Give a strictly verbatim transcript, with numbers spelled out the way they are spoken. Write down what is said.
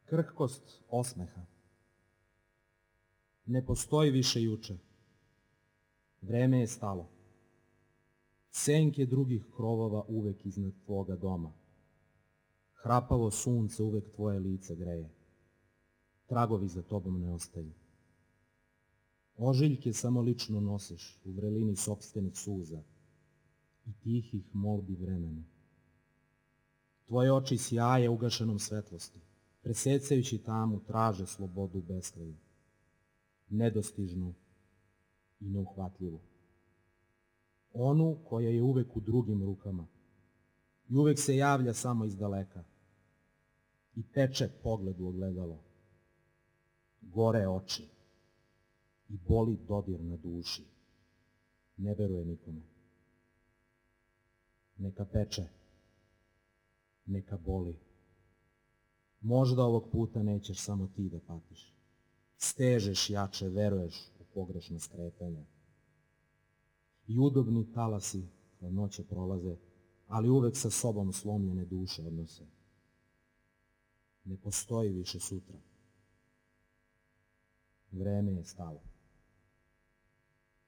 Krhkost osmeha. Ne postoji više juče. Vreme je stalo. Senke drugih krovova uvek iznad tvoga doma. Hrapavo sunce uvek tvoje lice greje. Tragovi za tobom ne ostaju. Ožiljke samo lično nosiš u vrelini sopstvenih suza i tihih molbi vremena. Tvoje oči sjaje ugašenom svetlosti, presecajući tamu traže slobodu u beskraju, nedostižnu i neuhvatljivu. Onu koja je uvek u drugim rukama i uvek se javlja samo iz daleka i teče pogled u ogledalo. Gore oči i boli dodir na duši. Ne veruje nikome. Neka peče, neka boli. Možda ovog puta nećeš samo ti da patiš. Stežeš jače, veruješ u pogrešna skretanja. I udobni talasi hladnoće prolaze, ali uvek sa sobom slomljene duše odnose. Ne postoji više sutra. Vreme je stalo.